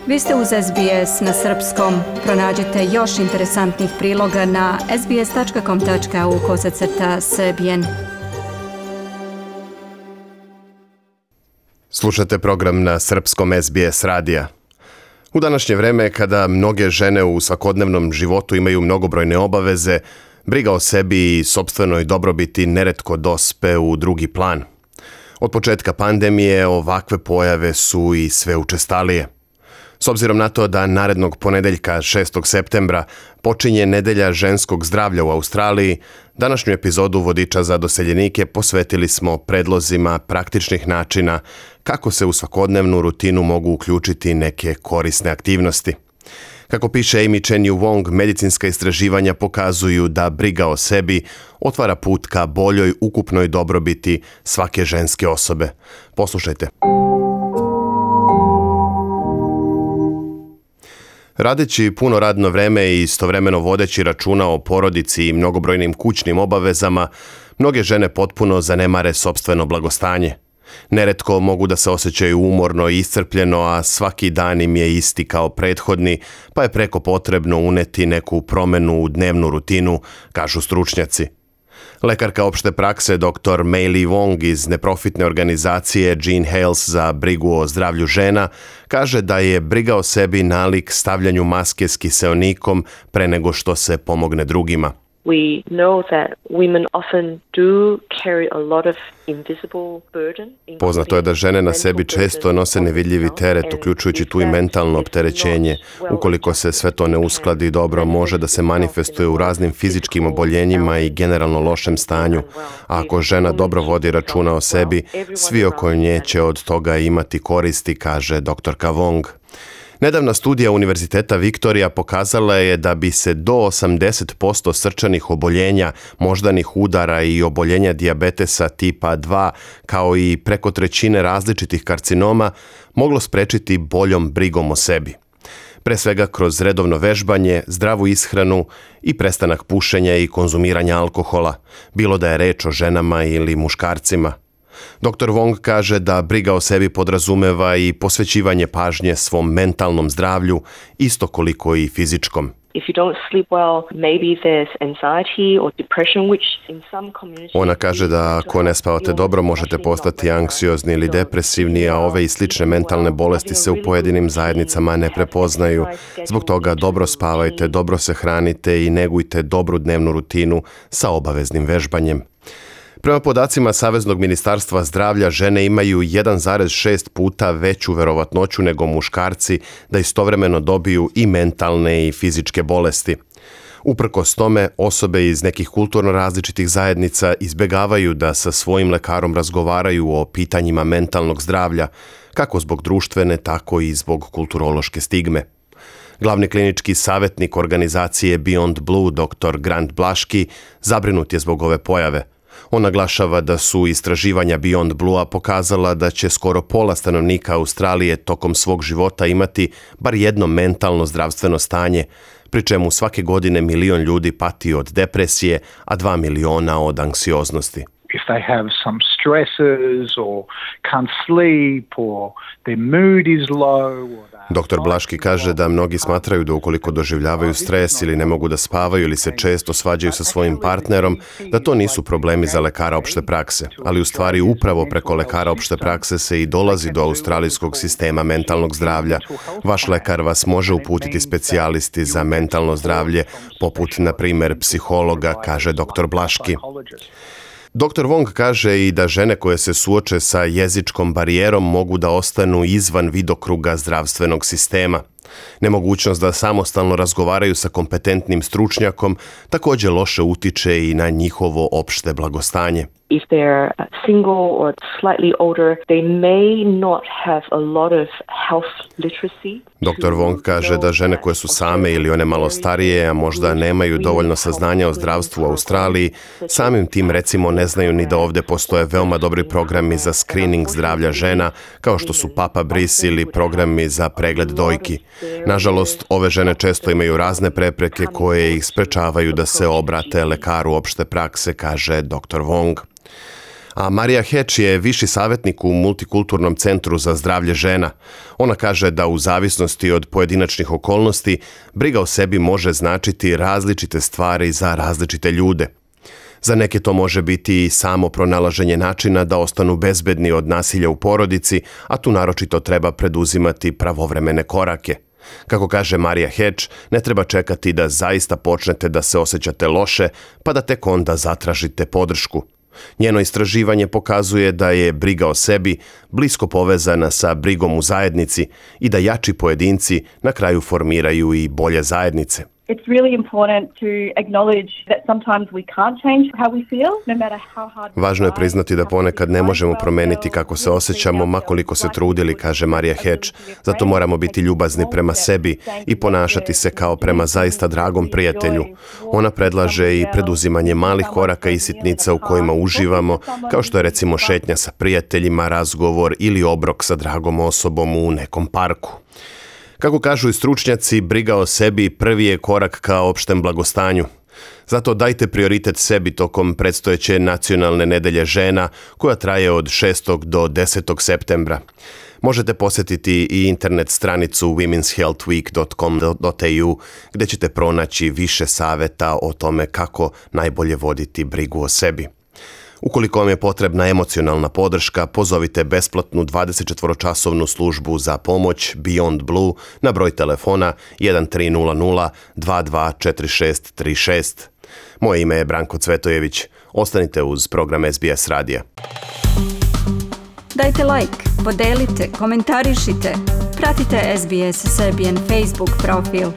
Vi ste uz SBS na srpskom. Pronađite još interesantnih priloga na sbs.com.au/srbijen. Slušate program na srpskom SBS radija. U današnje vreme, kada mnoge žene u svakodnevnom životu imaju mnogobrojne obaveze, briga o sebi i sopstvenoj dobrobiti neretko dospe u drugi plan. Od početka pandemije ovakve pojave su i sve učestalije. S obzirom na to da narednog ponedeljka 6. septembra počinje Nedelja ženskog zdravlja u Australiji, današnju epizodu Vodiča za doseljenike posvetili smo predlozima praktičnih načina kako se u svakodnevnu rutinu mogu uključiti neke korisne aktivnosti. Kako piše Amy Chenyu Wong, medicinska istraživanja pokazuju da briga o sebi otvara put ka boljoj ukupnoj dobrobiti svake ženske osobe. Poslušajte. Radeći puno radno vreme i istovremeno vodeći računa o porodici i mnogobrojnim kućnim obavezama, mnoge žene potpuno zanemare sopstveno blagostanje. Neretko mogu da se osjećaju umorno i iscrpljeno, a svaki dan im je isti kao prethodni, pa je preko potrebno uneti neku promenu u dnevnu rutinu, kažu stručnjaci. Lekarka opšte prakse dr. Mei Wong iz neprofitne organizacije Jean Hales za brigu o zdravlju žena kaže da je briga o sebi nalik stavljanju maske s kiseonikom pre nego što se pomogne drugima. We know that women often do carry a lot of invisible burden. Poznato je da žene na sebi često nose nevidljivi teret, uključujući tu i mentalno opterećenje. Ukoliko se sve to ne uskladi dobro, može da se manifestuje u raznim fizičkim oboljenjima i generalno lošem stanju. A ako žena dobro vodi računa o sebi, svi oko nje će od toga imati koristi, kaže doktorka Wong. Nedavna studija Univerziteta Viktorija pokazala je da bi se do 80% srčanih oboljenja, moždanih udara i oboljenja dijabetesa tipa 2, kao i preko trećine različitih karcinoma, moglo sprečiti boljom brigom o sebi. Pre svega kroz redovno vežbanje, zdravu ishranu i prestanak pušenja i konzumiranja alkohola, bilo da je reč o ženama ili muškarcima. Dr. Wong kaže da briga o sebi podrazumeva i posvećivanje pažnje svom mentalnom zdravlju, isto koliko i fizičkom. Ona kaže da ako ne spavate dobro, možete postati anksiozni ili depresivni, a ove i slične mentalne bolesti se u pojedinim zajednicama ne prepoznaju. Zbog toga dobro spavajte, dobro se hranite i negujte dobru dnevnu rutinu sa obaveznim vežbanjem. Prema podacima Saveznog ministarstva zdravlja, žene imaju 1,6 puta veću verovatnoću nego muškarci da istovremeno dobiju i mentalne i fizičke bolesti. Uprkos tome, osobe iz nekih kulturno različitih zajednica izbegavaju da sa svojim lekarom razgovaraju o pitanjima mentalnog zdravlja, kako zbog društvene, tako i zbog kulturološke stigme. Glavni klinički savjetnik organizacije Beyond Blue, dr. Grant Blaški, zabrinut je zbog ove pojave. On naglašava da su istraživanja Beyond Blue-a pokazala da će skoro pola stanovnika Australije tokom svog života imati bar jedno mentalno zdravstveno stanje, pri čemu svake godine 1 milion ljudi pati od depresije, a 2 miliona od anksioznosti. If they have some stresses or can't sleep or their mood is low. Dr. Blaški kaže da mnogi smatraju da ukoliko doživljavaju stres ili ne mogu da spavaju ili se često svađaju sa svojim partnerom, da to nisu problemi za lekara opšte prakse. Ali u stvari upravo preko lekara opšte prakse se i dolazi do australijskog sistema mentalnog zdravlja. Vaš lekar vas može uputiti specijalisti za mentalno zdravlje, poput, na primjer, psihologa, kaže dr. Blaški. Dr. Wong kaže i da žene koje se suoče sa jezičkom barijerom mogu da ostanu izvan vidokruga zdravstvenog sistema. Nemogućnost da samostalno razgovaraju sa kompetentnim stručnjakom također loše utiče i na njihovo opšte blagostanje. If they're single or slightly older, they may not have a lot of health literacy. Dr. Wong kaže da žene koje su same ili one malo starije, a možda nemaju dovoljno saznanja o zdravstvu u Australiji, samim tim recimo ne znaju ni da ovdje postoje veoma dobri programi za screening zdravlja žena, kao što su Papa Brice ili programi za pregled dojki. Nažalost, ove žene često imaju razne prepreke koje ih sprečavaju da se obrate lekaru opšte prakse, kaže dr. Wong. A Marija Hedge je viši savjetnik u Multikulturnom centru za zdravlje žena. Ona kaže da u zavisnosti od pojedinačnih okolnosti, briga o sebi može značiti različite stvari za različite ljude. Za neke to može biti i samo pronalaženje načina da ostanu bezbedni od nasilja u porodici, a tu naročito treba preduzimati pravovremene korake. Kako kaže Marija Hedge, ne treba čekati da zaista počnete da se osjećate loše, pa da tek onda zatražite podršku. Njeno istraživanje pokazuje da je briga o sebi blisko povezana sa brigom u zajednici i da jači pojedinci na kraju formiraju i bolje zajednice. It's really important to acknowledge that sometimes we can't change how we feel, no matter how hard. Važno je priznati da ponekad ne možemo promeniti kako se osjećamo, ma koliko se trudili, kaže Marija Hedge. Zato moramo biti ljubazni prema sebi i ponašati se kao prema zaista dragom prijatelju. Ona predlaže i preduzimanje malih koraka i sitnica u kojima uživamo, kao što je recimo šetnja sa prijateljima, razgovor ili obrok sa dragom osobom u nekom parku. Kako kažu i stručnjaci, briga o sebi prvi je korak ka opštem blagostanju. Zato dajte prioritet sebi tokom predstojeće nacionalne nedelje žena koja traje od 6. do 10. septembra. Možete posjetiti i internet stranicu womenshealthweek.com.au gdje ćete pronaći više savjeta o tome kako najbolje voditi brigu o sebi. Ukoliko vam je potrebna emocionalna podrška, pozovite besplatnu 24-časovnu službu za pomoć Beyond Blue na broj telefona 1300 224636. Moje ime je Branko Cvetojević. Ostanite uz program SBS radija. Dajte like, podelite, komentarišite. Pratite SBS Serbian Facebook profil.